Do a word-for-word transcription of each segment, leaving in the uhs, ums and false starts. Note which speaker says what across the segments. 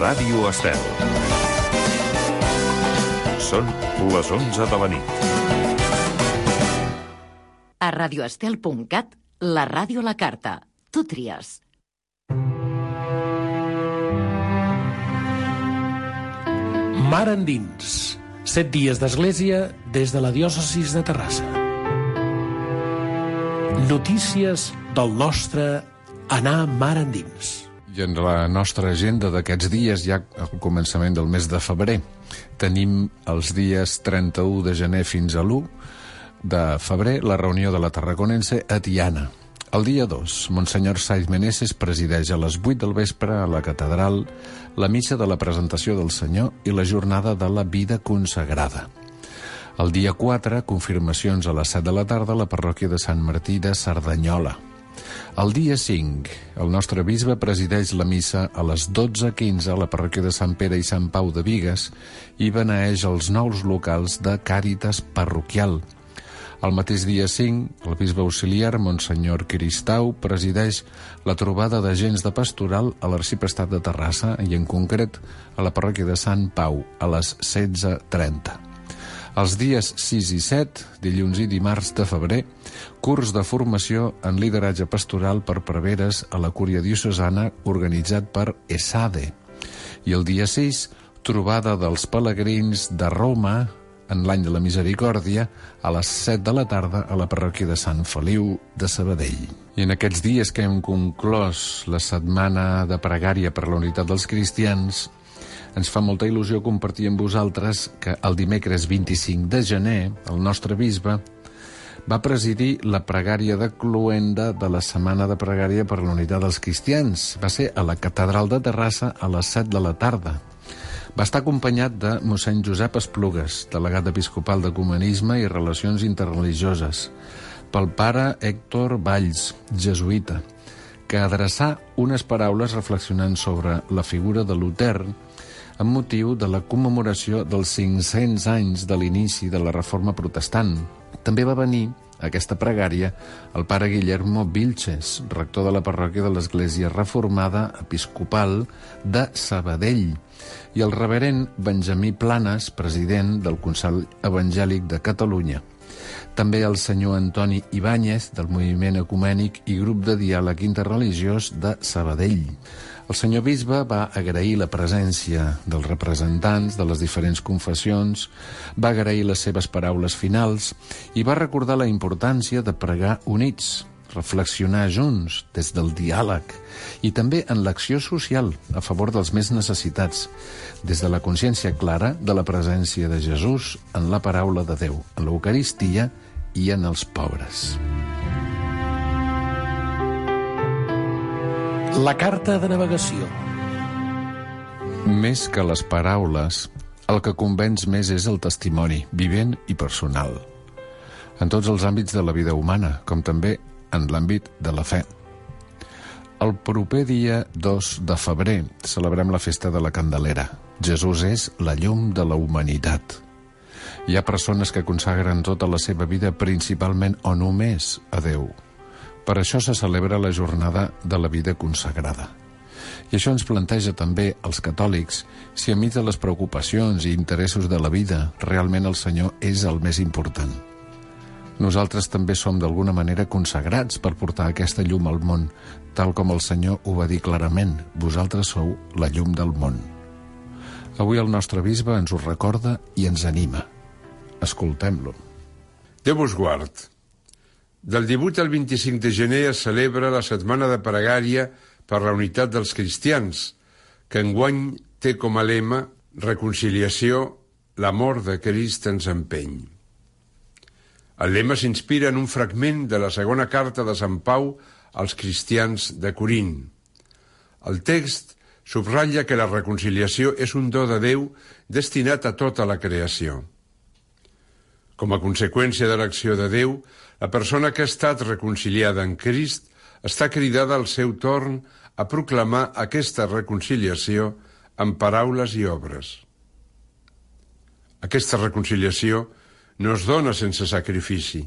Speaker 1: Ràdio Estel. Són les onze de la nit.
Speaker 2: A radioestel punt cat, la ràdio a la carta. Tu tries.
Speaker 3: Mar endins. Set dies d'església des de la diòcesis de Terrassa. Notícies del nostre anar mar endins.
Speaker 4: I en la nostra agenda d'aquests dies, ja al començament del mes de febrer, tenim els dies trenta-u de gener fins a l'u de febrer la reunió de la Tarraconense a Tiana. El dia dos, Monsenyor Saiz Meneses presideix a les vuit del vespre a la catedral la missa de la presentació del Senyor i la jornada de la vida consagrada. El dia quatre, confirmacions a les set de la tarda a la parròquia de Sant Martí de Cerdanyola. El dia cinc, el nostre bisbe presideix la missa a les dotze quinze a la parròquia de Sant Pere i Sant Pau de Bigues i beneeix els nous locals de Càritas parroquial. El mateix dia cinc, el bisbe auxiliar, Monsenyor Cristau, presideix la trobada d'agents de pastoral a l'Arxiprestat de Terrassa i, en concret, a la parròquia de Sant Pau, a les setze trenta. Els dies sis i set, dilluns i dimarts de febrer, curs de formació en lideratge pastoral per preveres a la Cúria Diocesana organitzat per ESADE. I el dia sis, trobada dels pelegrins de Roma en l'any de la Misericòrdia a les set de la tarda a la parròquia de Sant Feliu de Sabadell. I en aquests dies que hem conclòs la setmana de pregària per la unitat dels cristians, ens fa molta il·lusió compartir amb vosaltres que el dimecres vint-i-cinc de gener el nostre bisbe va presidir la pregària de cloenda de la setmana de pregària per la unitat dels cristians. Va ser a la catedral de Terrassa a les set de la tarda. Va estar acompanyat de mossèn Josep Esplugues, delegat episcopal d'Ecumenisme i Relacions Interreligioses, pel pare Héctor Valls, jesuïta, que adreçà unes paraules reflexionant sobre la figura de Luter amb motiu de la commemoració dels cinc-cents anys de l'inici de la Reforma Protestant. També va venir a aquesta pregària el pare Guillermo Vilches, rector de la parròquia de l'Església Reformada Episcopal de Sabadell, i el reverend Benjamí Planes, president del Consell Evangèlic de Catalunya. També el senyor Antoni Ibáñez, del Moviment Ecumènic i Grup de Diàleg Interreligiós de Sabadell. El senyor bisbe va agrair la presència dels representants de les diferents confessions, va agrair les seves paraules finals i va recordar la importància de pregar units, reflexionar junts des del diàleg i també en l'acció social a favor dels més necessitats, des de la consciència clara de la presència de Jesús en la paraula de Déu, en l'Eucaristia i en els pobres.
Speaker 3: La carta de navegació.
Speaker 4: Més que les paraules, el que convenç més és el testimoni, vivent i personal, en tots els àmbits de la vida humana, com també en l'àmbit de la fe. El proper dia dos de febrer celebrem la festa de la Candelera. Jesús és la llum de la humanitat. Hi ha persones que consagren tota la seva vida principalment o només a Déu. Per això se celebra la jornada de la vida consagrada. I això ens planteja també als catòlics si enmig de les preocupacions i interessos de la vida realment el Senyor és el més important. Nosaltres també som d'alguna manera consagrats per portar aquesta llum al món, tal com el Senyor ho va dir clarament: vosaltres sou la llum del món. Avui el nostre bisbe ens ho recorda i ens anima. Escoltem-lo.
Speaker 5: Déu vos guard. Del divuit al vint-i-cinc de gener es celebra la setmana de pregària per la unitat dels cristians, que enguany té com a lema reconciliació, l'amor de Crist ens empeny. El lema s'inspira en un fragment de la segona carta de Sant Pau als cristians de Corint. El text subratlla que la reconciliació és un do de Déu destinat a tota la creació. Com a conseqüència de l'acció de Déu, la persona que ha estat reconciliada en Crist està cridada al seu torn a proclamar aquesta reconciliació amb paraules i obres. Aquesta reconciliació no es dona sense sacrifici.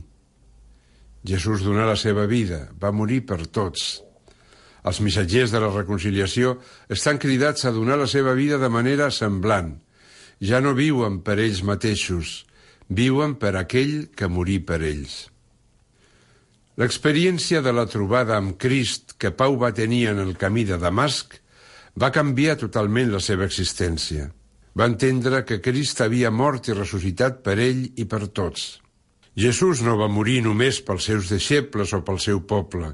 Speaker 5: Jesús donà la seva vida, va morir per tots. Els missatgers de la reconciliació estan cridats a donar la seva vida de manera semblant. Ja no viuen per ells mateixos, viuen per aquell que morí per ells. L'experiència de la trobada amb Crist que Pau va tenir en el camí de Damasc va canviar totalment la seva existència. Va entendre que Crist havia mort i ressuscitat per ell i per tots. Jesús no va morir només pels seus deixebles o pel seu poble,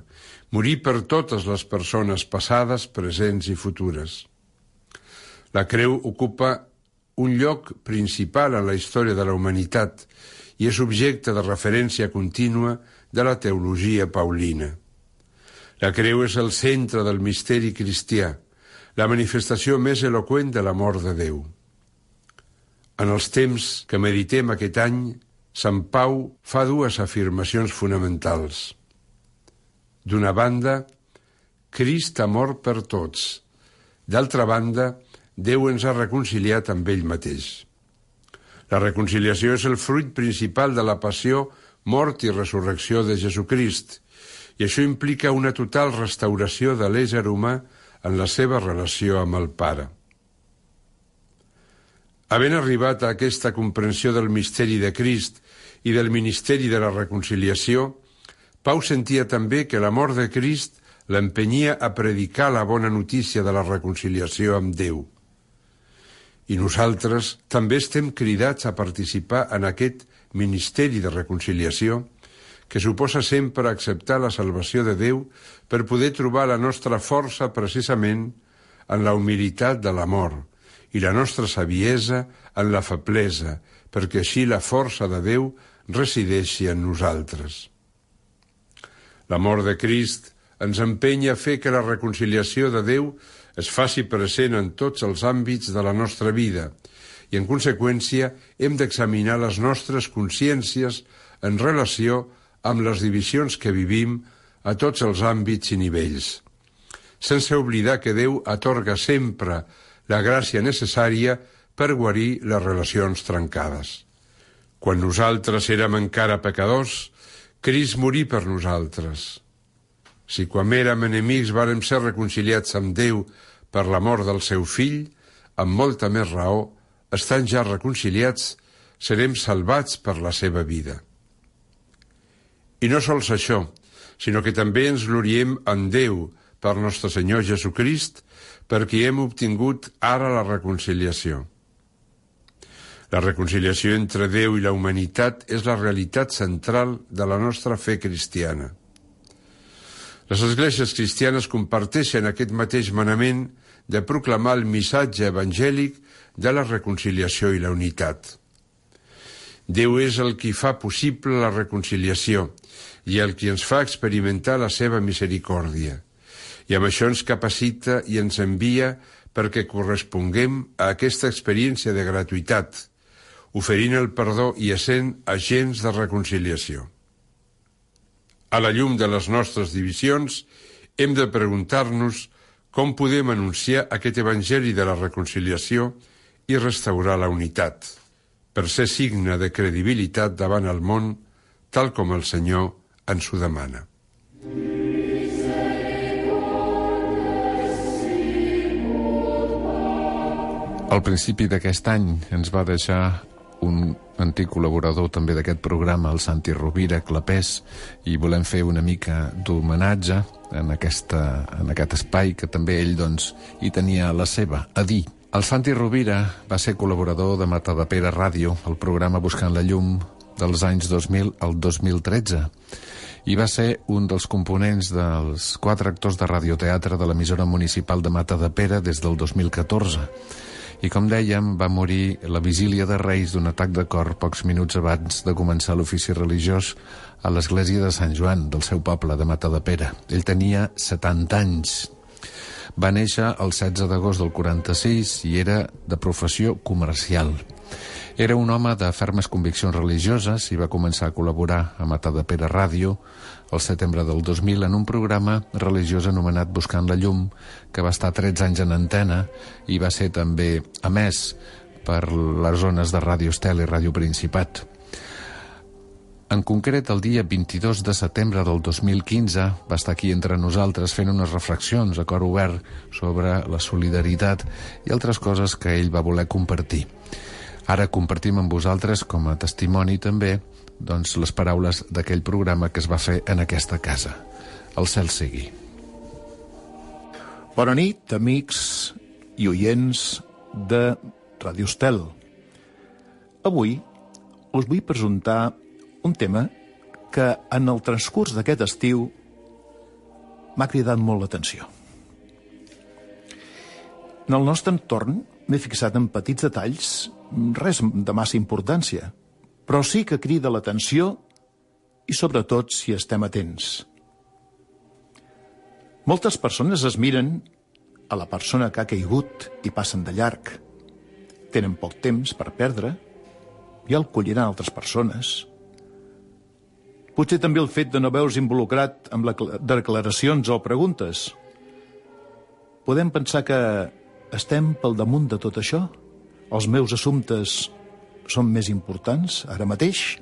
Speaker 5: morí per totes les persones passades, presents i futures. La creu ocupa un lloc principal en la història de la humanitat i és objecte de referència contínua de la teologia paulina. La creu és el centre del misteri cristià, la manifestació més eloqüent de l'amor de Déu. En els temps que meditem aquest any, Sant Pau fa dues afirmacions fonamentals. D'una banda, Crist ha mort per tots. D'altra banda, Déu ens ha reconciliat amb ell mateix. La reconciliació és el fruit principal de la passió, mort i resurrecció de Jesucrist, i això implica una total restauració de l'ésser humà en la seva relació amb el Pare. Havent arribat a aquesta comprensió del misteri de Crist i del ministeri de la reconciliació, Pau sentia també que l'amor de Crist l'empenyia a predicar la bona notícia de la reconciliació amb Déu. I nosaltres també estem cridats a participar en aquest ministeri de reconciliació que suposa sempre acceptar la salvació de Déu per poder trobar la nostra força precisament en la humilitat de l'amor i la nostra saviesa en la feblesa, perquè així la força de Déu resideixi en nosaltres. L'amor de Crist ens empenya a fer que la reconciliació de Déu es faci present en tots els àmbits de la nostra vida i, en conseqüència, hem d'examinar les nostres consciències en relació amb les divisions que vivim a tots els àmbits i nivells, sense oblidar que Déu atorga sempre la gràcia necessària per guarir les relacions trencades. Quan nosaltres érem encara pecadors, Crist morí per nosaltres. Si quan érem enemics vàrem ser reconciliats amb Déu per l'amor del seu fill, amb molta més raó, estant ja reconciliats, serem salvats per la seva vida. I no sols això, sinó que també ens gloriem en Déu per nostre Senyor Jesucrist, perquè hem obtingut ara la reconciliació. La reconciliació entre Déu i la humanitat és la realitat central de la nostra fe cristiana. Les esglésies cristianes comparteixen aquest mateix manament de proclamar el missatge evangèlic de la reconciliació i la unitat. Déu és el qui fa possible la reconciliació i el qui ens fa experimentar la seva misericòrdia. I amb això ens capacita i ens envia perquè corresponguem a aquesta experiència de gratuïtat, oferint el perdó i essent agents de reconciliació. A la llum de les nostres divisions, hem de preguntar-nos com podem anunciar aquest evangeli de la reconciliació i restaurar la unitat, per ser signe de credibilitat davant el món, tal com el Senyor ens ho demana.
Speaker 4: Al principi d'aquest any ens va deixar un antic col·laborador també d'aquest programa, el Santi Rovira Clapés, i volem fer una mica d'homenatge en, aquesta, en aquest espai que també ell doncs, hi tenia la seva a dir. El Santi Rovira va ser col·laborador de Matadepera Ràdio, el programa Buscant la Llum, dels anys dos mil al dos mil tretze, i va ser un dels components dels quatre actors de radioteatre de l'emissora municipal de Matadepera des del dos mil catorze. I com dèiem, va morir la vigília de Reis d'un atac de cor pocs minuts abans de començar l'ofici religiós a l'església de Sant Joan, del seu poble, de Matadepera. Ell tenia setanta anys. Va néixer el setze d'agost del quaranta-sis i era de professió comercial. Era un home de fermes conviccions religioses i va començar a col·laborar a Matadepera Ràdio el setembre del dos mil en un programa religiós anomenat Buscant la Llum, que va estar tretze anys en antena i va ser també emès per les zones de Ràdio Estel i Ràdio Principat. En concret, el dia vint-i-dos de setembre del dos mil quinze va estar aquí entre nosaltres fent unes reflexions a cor obert sobre la solidaritat i altres coses que ell va voler compartir. Ara compartim amb vosaltres, com a testimoni també, doncs, les paraules d'aquell programa que es va fer en aquesta casa. El cel sigui.
Speaker 6: Bona nit, amics i oients de Ràdio Estel. Avui us vull presentar un tema que en el transcurs d'aquest estiu m'ha cridat molt l'atenció. En el nostre entorn m'he fixat en petits detalls, res de massa importància, però sí que crida l'atenció i sobretot si estem atents. Moltes persones es miren a la persona que ha caigut i passen de llarg. Tenen poc temps per perdre i el colliran altres persones. Potser també el fet de no veure's involucrat amb les declaracions o preguntes. Podem pensar que estem pel damunt de tot això? Els meus assumptes són més importants ara mateix?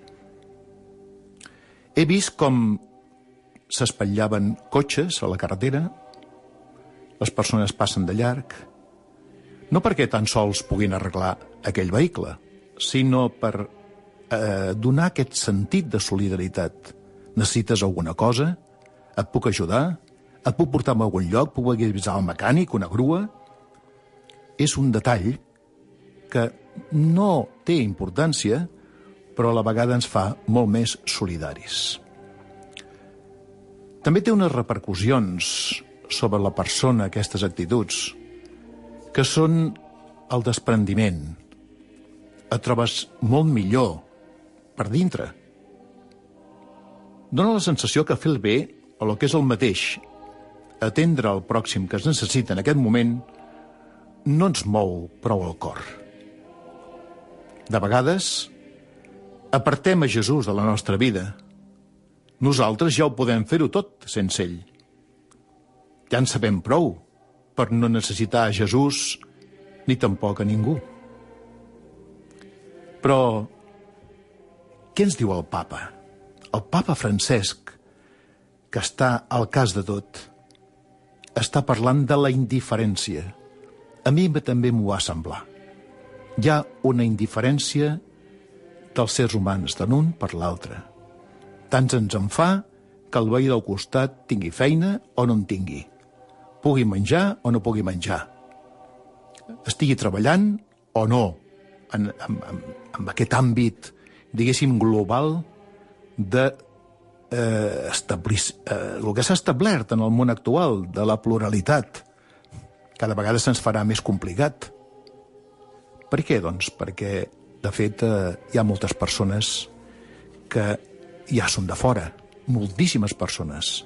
Speaker 6: He vist com s'espatllaven cotxes a la carretera, les persones passen de llarg, no perquè tan sols puguin arreglar aquell vehicle, sinó per eh, donar aquest sentit de solidaritat. Necessites alguna cosa? Et puc ajudar? Et puc portar a algun lloc? Puc avisar el mecànic, una grua? És un detall que no té importància, però a la vegada ens fa molt més solidaris. També té unes repercussions sobre la persona, aquestes actituds, que són el desprendiment. Et trobes molt millor per dintre. Dóna la sensació que fer el bé, o el que és el mateix, atendre el pròxim que es necessita en aquest moment, no ens mou prou el cor. De vegades, apartem a Jesús de la nostra vida. Nosaltres ja ho podem fer-ho tot sense ell. Ja en sabem prou per no necessitar a Jesús ni tampoc a ningú. Però què ens diu el papa? El papa Francesc, que està al cas de tot, està parlant de la indiferència. A mi també m'ho va semblar. Hi ha una indiferència dels sers humans, de l'un per l'altre. Tant ens en fa que el veí del costat tingui feina o no en tingui, pugui menjar o no pugui menjar, estigui treballant o no, en, en, en, en aquest àmbit, diguéssim, global de eh, establir eh, el que s'ha establert en el món actual, de la pluralitat. Cada vegada se'ns farà més complicat. Per què, doncs? Perquè, de fet, eh, hi ha moltes persones que ja són de fora, moltíssimes persones,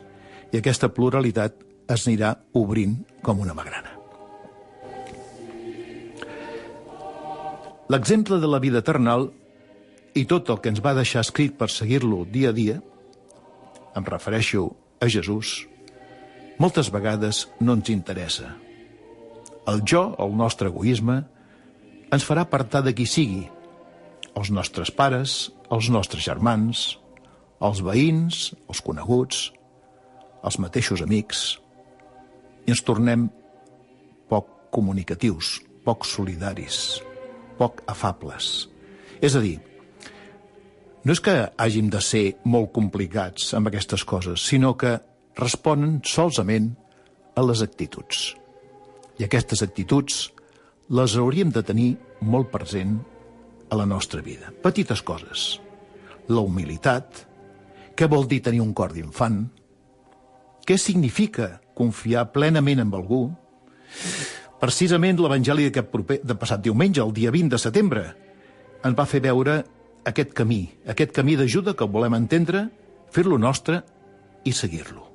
Speaker 6: i aquesta pluralitat es anirà obrint com una magrana. L'exemple de la vida eternal i tot el que ens va deixar escrit per seguir-lo dia a dia, em refereixo a Jesús, moltes vegades no ens interessa. El jo, el nostre egoisme, ens farà apartar de qui sigui, els nostres pares, els nostres germans, els veïns, els coneguts, els mateixos amics, i ens tornem poc comunicatius, poc solidaris, poc afables. És a dir, no és que hàgim de ser molt complicats amb aquestes coses, sinó que responen solament a les actituds. I aquestes actituds les hauríem de tenir molt present a la nostra vida. Petites coses. La humilitat. Què vol dir tenir un cor d'infant? Què significa confiar plenament en algú? Precisament l'Evangeli d'aquest proper, de passat diumenge, el dia vint de setembre, ens va fer veure aquest camí, aquest camí d'ajuda que volem entendre, fer-lo nostre i seguir-lo.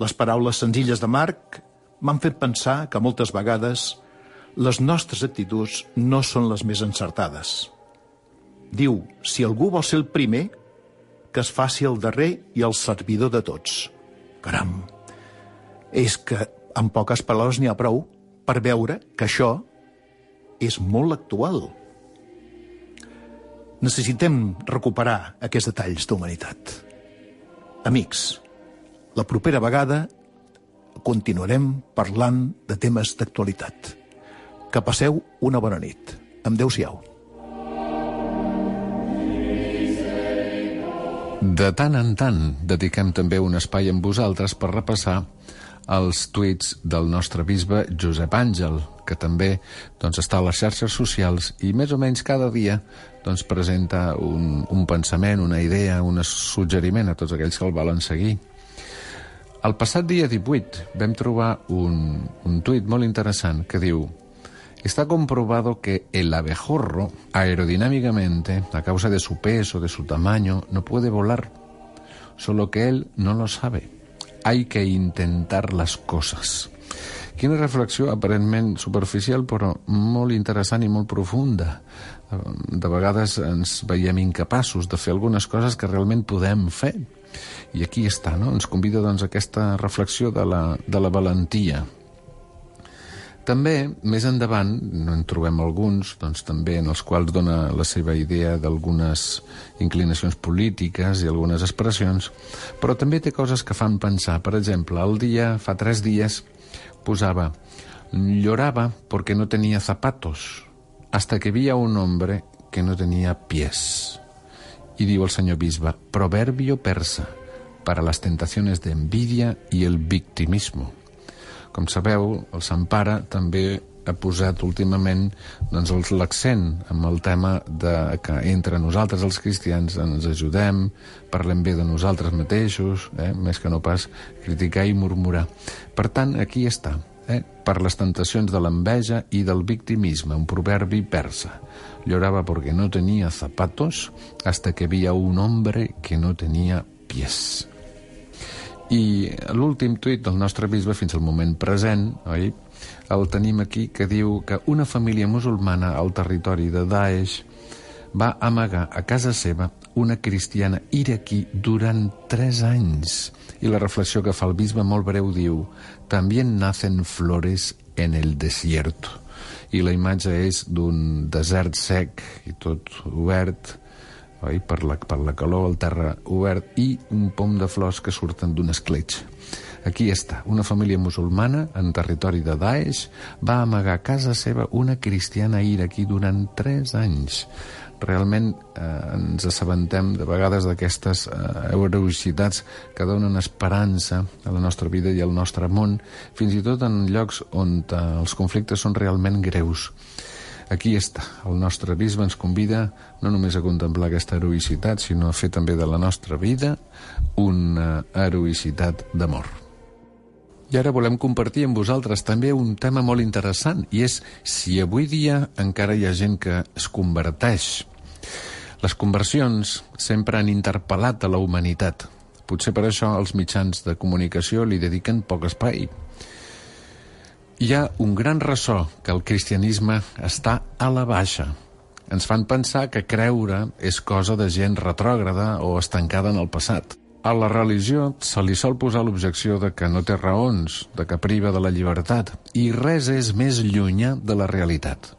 Speaker 6: Les paraules senzilles de Marc m'han fet pensar que moltes vegades les nostres actituds no són les més encertades. Diu, si algú vol ser el primer, que es faci el darrer i el servidor de tots. Caram, és que en poques paraules n'hi ha prou per veure que això és molt actual. Necessitem recuperar aquests detalls d'humanitat. Amics, la propera vegada continuarem parlant de temes d'actualitat. Que passeu una bona nit. Adéu-siau.
Speaker 4: De tant en tant dediquem també un espai amb vosaltres per repassar els tuits del nostre bisbe Josep Àngel, que també doncs, està a les xarxes socials i més o menys cada dia doncs, presenta un, un pensament, una idea, un suggeriment a tots aquells que el volen seguir. El passat dia divuit vam trobar un, un tuit molt interessant que diu: está comprobado que el abejorro aerodinámicamente, a causa de su peso, de su tamaño, no puede volar, solo que él no lo sabe. Hay que intentar las cosas. Quina reflexió aparentment superficial, però molt interessant i molt profunda. De vegades ens veiem incapaços de fer algunes coses que realment podem fer. I aquí està, no? Ens convida doncs, a aquesta reflexió de la, de la valentia. També, més endavant, no en trobem alguns, doncs, també en els quals dona la seva idea d'algunes inclinacions polítiques i algunes expressions, però també té coses que fan pensar. Per exemple, el dia, fa tres dies, posava: lloraba porque no tenía zapatos, hasta que vi a un hombre que no tenía pies. Y diu el senyor bisbe: proverbio persa para las tentaciones de envidia y el victimismo. Com sabeu, el Sant Pare també ha posat últimament doncs, l'accent amb el tema de que entre nosaltres els cristians ens ajudem, parlem bé de nosaltres mateixos, eh? més que no pas criticar i murmurar. Per tant, aquí està, eh? per les tentacions de l'enveja i del victimisme, un proverbi persa. Lloraba porque no tenía zapatos hasta que vi a un hombre que no tenía pies. I l'últim tuit del nostre bisbe fins al moment present, oi? El tenim aquí, que diu que una família musulmana al territori de Daesh va amagar a casa seva una cristiana iraquí durant tres anys. I la reflexió que fa el bisbe molt breu diu: «También nacen flores en el desierto». I la imatge és d'un desert sec i tot obert, oi? Per la, per la calor, el terra obert i un pom de flors que surten d'un escletx. Aquí està, una família musulmana en territori de Daesh va amagar a casa seva una cristiana iraquí durant tres anys. Realment eh, ens assabentem de vegades d'aquestes eh, heroïcitats que donen esperança a la nostra vida i al nostre món, fins i tot en llocs on eh, els conflictes són realment greus. Aquí està, el nostre bisbe ens convida no només a contemplar aquesta heroïcitat, sinó a fer també de la nostra vida una heroïcitat d'amor. I ara volem compartir amb vosaltres també un tema molt interessant, i és si avui dia encara hi ha gent que es converteix. Les conversions sempre han interpel·lat a la humanitat. Potser per això els mitjans de comunicació li dediquen poc espai. Hi ha un gran ressò que el cristianisme està a la baixa. Ens fan pensar que creure és cosa de gent retrògrada o estancada en el passat. A la religió se li sol posar l'objecció de que no té raons, de que priva de la llibertat, i res és més llunyà de la realitat.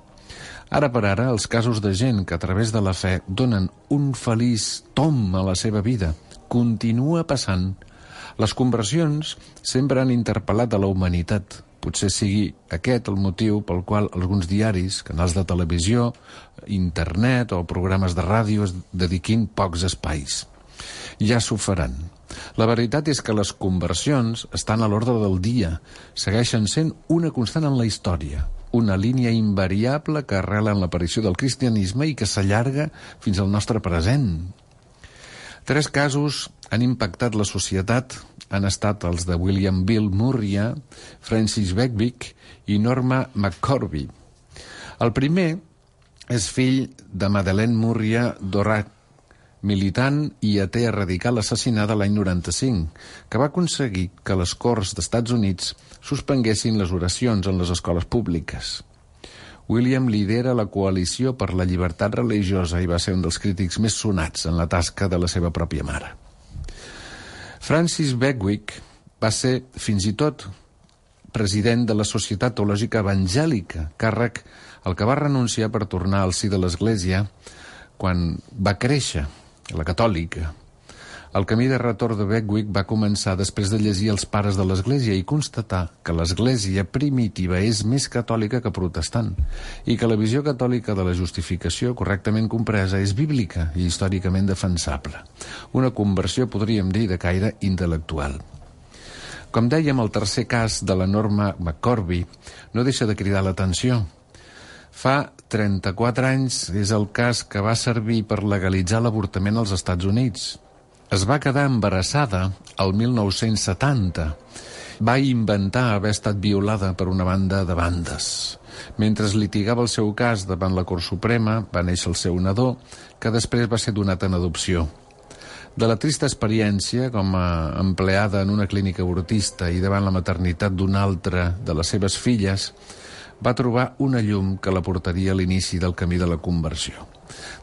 Speaker 4: Ara per ara, els casos de gent que a través de la fe donen un feliç tom a la seva vida continua passant. Les conversions sempre han interpel·lat a la humanitat. Potser sigui aquest el motiu pel qual alguns diaris, canals de televisió, internet o programes de ràdio es dediquin pocs espais. Ja s'ho faran. La veritat és que les conversions estan a l'ordre del dia, segueixen sent una constant en la història, una línia invariable que arrela en l'aparició del cristianisme i que s'allarga fins al nostre present. Tres casos han impactat la societat, han estat els de William Bill Murria, Francis Beckwith i Norma McCorvey. El primer és fill de Madeleine Murria Dorat, militant i atea radical assassinada l'any noranta-cinc, que va aconseguir que les Corts d'Estats Units suspenguessin les oracions en les escoles públiques. William lidera la coalició per la llibertat religiosa i va ser un dels crítics més sonats en la tasca de la seva pròpia mare. Francis Beckwith va ser, fins i tot, president de la Societat Teològica Evangèlica, càrrec al que va renunciar per tornar al si de l'Església quan va créixer, la catòlica. El camí de retorn de Beckwith va començar després de llegir els pares de l'Església i constatar que l'Església primitiva és més catòlica que protestant i que la visió catòlica de la justificació correctament compresa és bíblica i històricament defensable. Una conversió, podríem dir, de caire intel·lectual. Com dèiem, el tercer cas de la norma McCorvey no deixa de cridar l'atenció. Fa trenta-quatre anys és el cas que va servir per legalitzar l'avortament als Estats Units. Es va quedar embarassada el mil nou-cents setanta. Va inventar haver estat violada per una banda de bandes. Mentre es litigava el seu cas davant la Cort Suprema, va néixer el seu nadó, que després va ser donat en adopció. De la trista experiència com a empleada en una clínica abortista i davant la maternitat d'una altra de les seves filles, va trobar una llum que la portaria a l'inici del camí de la conversió.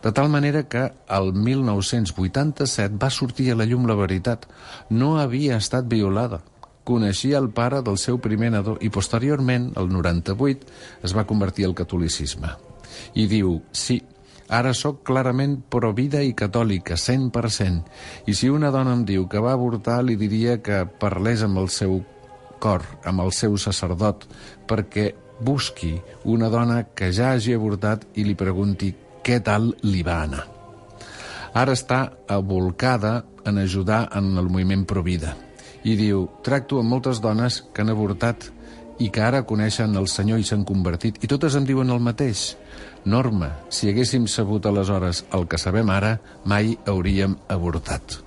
Speaker 4: De tal manera que el mil nou-cents vuitanta-set va sortir a la llum la veritat. No havia estat violada. Coneixia el pare del seu primer nadó i posteriorment, el noranta-vuit, es va convertir al catolicisme. I diu, sí, ara sóc clarament provida i catòlica, cent per cent. I si una dona em diu que va avortar, li diria que parlés amb el seu cor, amb el seu sacerdot, perquè busqui una dona que ja hagi avortat i li pregunti què tal li va anar. Ara està abolcada en ajudar en el moviment Provida. I diu, tracto amb moltes dones que han avortat i que ara coneixen el Senyor i s'han convertit. I totes em diuen el mateix. Norma, si haguéssim sabut aleshores el que sabem ara, mai hauríem avortat.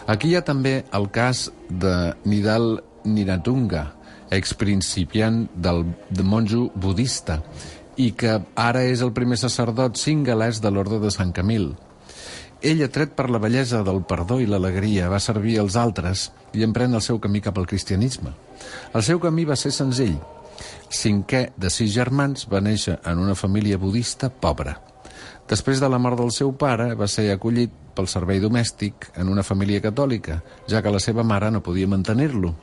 Speaker 4: Aquí hi ha també el cas de Nidal Niratunga, exprincipiant del de monjo budista, i que ara és el primer sacerdot singalès de l'Orde de Sant Camil. Ell, atret per la bellesa del perdó i l'alegria, va servir als altres i emprèn el seu camí cap al cristianisme. El seu camí va ser senzill. Cinquè de sis germans, va néixer en una família budista pobra. Després de la mort del seu pare, va ser acollit pel servei domèstic en una família catòlica, ja que la seva mare no podia mantenir-lo.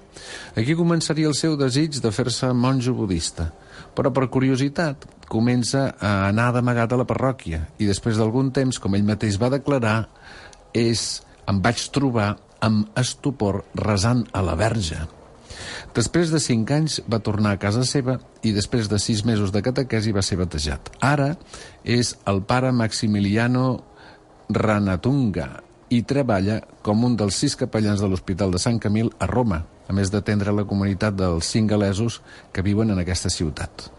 Speaker 4: Aquí començaria el seu desig de fer-se monjo budista, però per curiositat comença a anar d'amagat a la parròquia i després d'algun temps, com ell mateix va declarar, és em vaig trobar amb estupor resant a la Verge. Després de cinc anys va tornar a casa seva i després de sis mesos de catequesi va ser batejat. Ara és el pare Maximiliano Ranatunga i treballa com un dels sis capellans de l'Hospital de Sant Camil a Roma, a més d'atendre la comunitat dels singalesos que viuen en aquesta ciutat.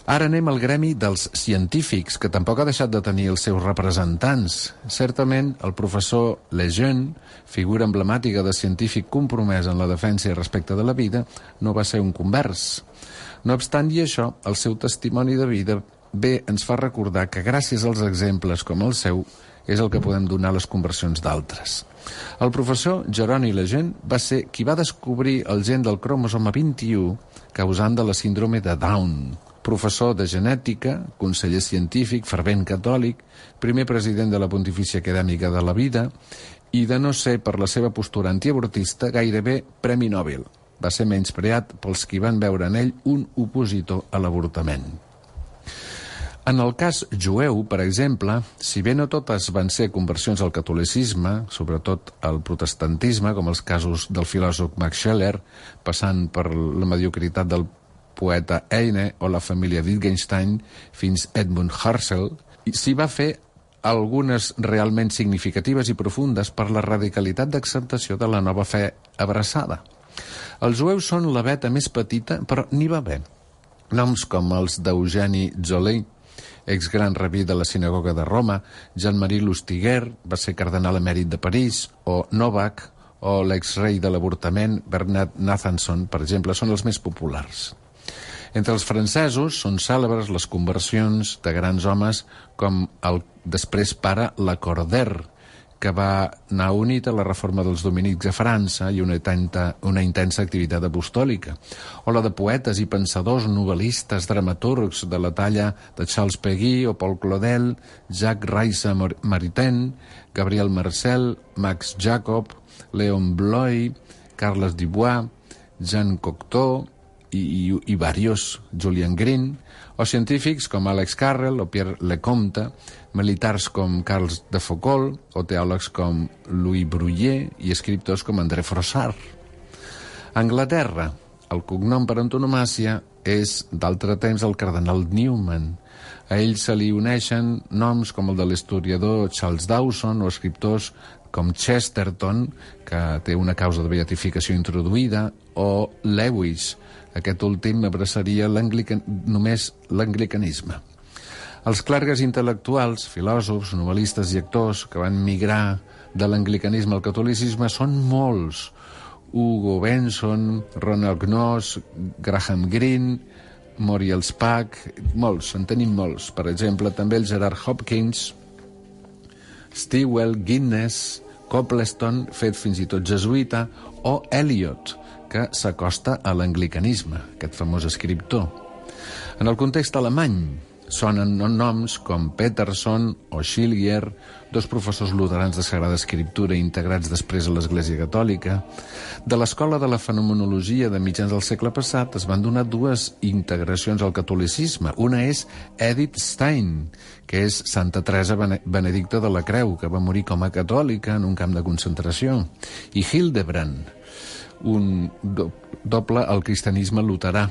Speaker 4: Ara anem al gremi dels científics, que tampoc ha deixat de tenir els seus representants. Certament, el professor Lejeune, figura emblemàtica de científic compromès en la defensa i respecte de la vida, no va ser un convers. No obstant i això, el seu testimoni de vida bé ens fa recordar que gràcies als exemples com el seu és el que podem donar a les conversions d'altres. El professor Jeroni Lejeune va ser qui va descobrir el gen del cromosoma vint-i-u causant de la síndrome de Down. Professor de genètica, conseller científic, fervent catòlic, primer president de la Pontifícia Acadèmica de la Vida i, de no ser per la seva postura antiabortista, gairebé Premi Nobel. Va ser menyspreat pels qui van veure en ell un opositor a l'avortament. En el cas jueu, per exemple, si bé no totes van ser conversions al catolicisme, sobretot al protestantisme, com els casos del filòsof Max Scheler, passant per la mediocritat del poeta Heine o la família Wittgenstein fins Edmund Husserl, s'hi va fer algunes realment significatives i profundes per la radicalitat d'acceptació de la nova fe abraçada. Els jueus són la veta més petita, però n'hi va haver. Noms com els d'Eugeni Zollei, exgran rabí de la sinagoga de Roma, Jean-Marie Lustiger, va ser cardenal emèrit de París, o Novak, o l'exrei de l'avortament Bernard Nathanson, per exemple, són els més populars. Entre els francesos són cèlebres les conversions de grans homes com el després pare Lacordaire, que va anar unit a la reforma dels dominics a França i una, tenta, una intensa activitat apostòlica, o la de poetes i pensadors, novel·listes, dramaturgs de la talla de Charles Péguy o Paul Claudel, Jacques Rice-Maritain, Gabriel Marcel, Max Jacob, Léon Bloy, Carles Dubois, Jean Cocteau, i, i, i varios, Julian Green, o científics com Alex Carrel o Pierre Lecomte, militars com Carles de Foucault, o teòlegs com Louis Bruguier i escriptors com André Froissart. A Anglaterra, el cognom per antonomàsia és d'altre temps el cardenal Newman. A ell se li uneixen noms com el de l'historiador Charles Dawson o escriptors com Chesterton, que té una causa de beatificació introduïda, o Lewis. Aquest últim abraçaria l'anglican... només l'anglicanisme. Els clergues intel·lectuals, filòsofs, novel·listes i actors que van migrar de l'anglicanisme al catolicisme són molts. Hugo Benson, Ronald Knox, Graham Greene, Muriel Spack, molts, en tenim molts. Per exemple, també el Gerard Hopkins, Stewell, Guinness, Copleston, fet fins i tot jesuïta, o Eliot, que s'acosta a l'anglicanisme, aquest famós escriptor. En el context alemany, sonen noms com Peterson o Schillier, dos professors luterans de Sagrada Escriptura integrats després a l'Església Catòlica. De l'escola de la fenomenologia de mitjans del segle passat es van donar dues integracions al catolicisme. Una és Edith Stein, que és Santa Teresa Benedicta de la Creu, que va morir com a catòlica en un camp de concentració, i Hildebrand, un do doble al cristianisme luterà,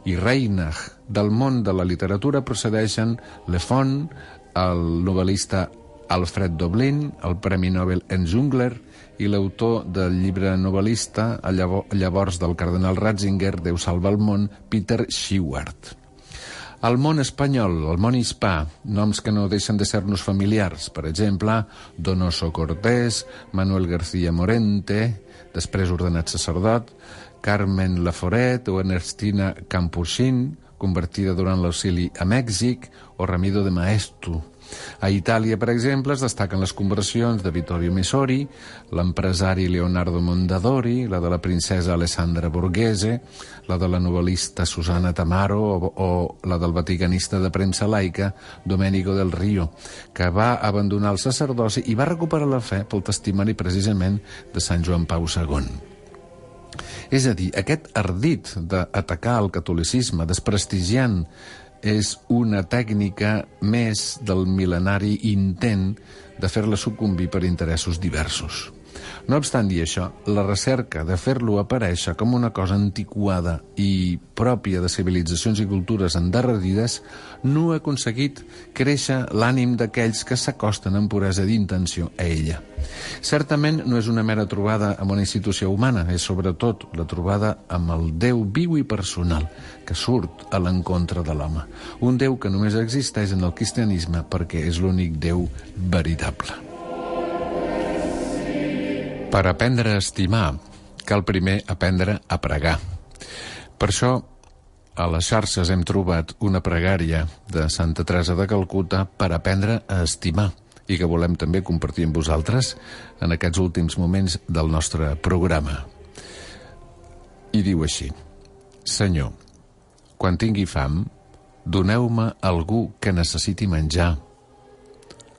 Speaker 4: i Reinach. Del món de la literatura procedeixen Le Font, el novel·lista Alfred Doblin, el Premi Nobel Enzungler i l'autor del llibre novel·lista, llavors del cardenal Ratzinger, Déu salva el món, Peter Sheward. Al món espanyol, al món hispà, noms que no deixen de ser-nos familiars. Per exemple, Donoso Cortés, Manuel García Morente, després ordenat sacerdot, Carmen Laforet o Ernestina Campusin, convertida durant l'auxili a Mèxic, o Ramido de Maeztu. A Itàlia, per exemple, es destaquen les conversions de Vittorio Messori, l'empresari Leonardo Mondadori, la de la princesa Alessandra Borghese, la de la novel·lista Susana Tamaro o, o la del vaticanista de premsa laica Domenico del Rio, que va abandonar el sacerdoci i va recuperar la fe pel testimoni precisament de Sant Joan Pau segon. És a dir, aquest ardit d'atacar el catolicisme, desprestigiant, és una tècnica més del mil·lenari intent de fer-la sucumbir per interessos diversos. No obstant dir això, la recerca de fer-lo aparèixer com una cosa antiquada i pròpia de civilitzacions i cultures endarrerides no ha aconseguit créixer l'ànim d'aquells que s'acosten amb puresa d'intenció a ella. Certament no és una mera trobada amb una institució humana, és sobretot la trobada amb el Déu viu i personal que surt a l'encontre de l'home. Un Déu que només existeix en el cristianisme perquè és l'únic Déu veritable. Per aprendre a estimar, cal primer aprendre a pregar. Per això, a les xarxes hem trobat una pregària de Santa Teresa de Calcuta per aprendre a estimar i que volem també compartir amb vosaltres en aquests últims moments del nostre programa. I diu així: Senyor, quan tingui fam, doneu-me algú que necessiti menjar.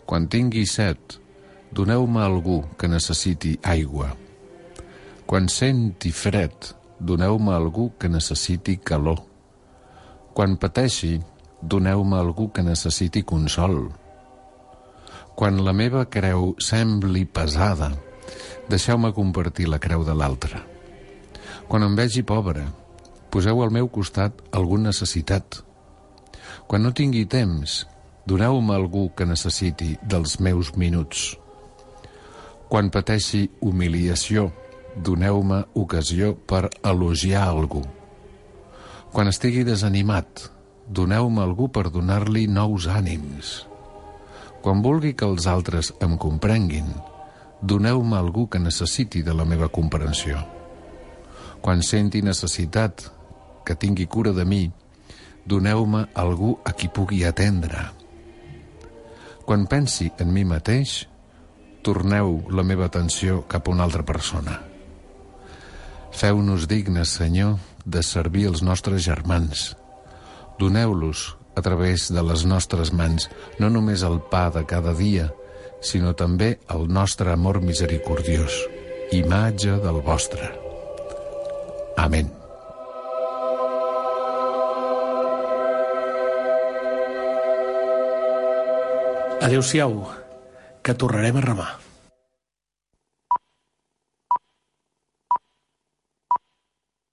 Speaker 4: Quan tingui set, doneu-me algú que necessiti aigua. Quan senti fred, doneu-me algú que necessiti calor. Quan pateixi, doneu-me algú que necessiti consol. Quan la meva creu sembli pesada, deixeu-me compartir la creu de l'altre. Quan em vegi pobre, poseu al meu costat algun necessitat. Quan no tingui temps, doneu-me algú que necessiti dels meus minuts. Quan pateixi humiliació, doneu-me ocasió per elogiar algú. Quan estigui desanimat, doneu-me algú per donar-li nous ànims. Quan vulgui que els altres em comprenguin, doneu-me algú que necessiti de la meva comprensió. Quan senti necessitat, que tingui cura de mi, doneu-me algú a qui pugui atendre. Quan pensi en mi mateix, torneu la meva atenció cap a una altra persona. Feu-nos dignes, Senyor, de servir els nostres germans. Doneu-los, a través de les nostres mans, no només el pa de cada dia, sinó també el nostre amor misericordiós, imatge del vostre. Amén.
Speaker 3: Adéu-siau, que tornarem a remar.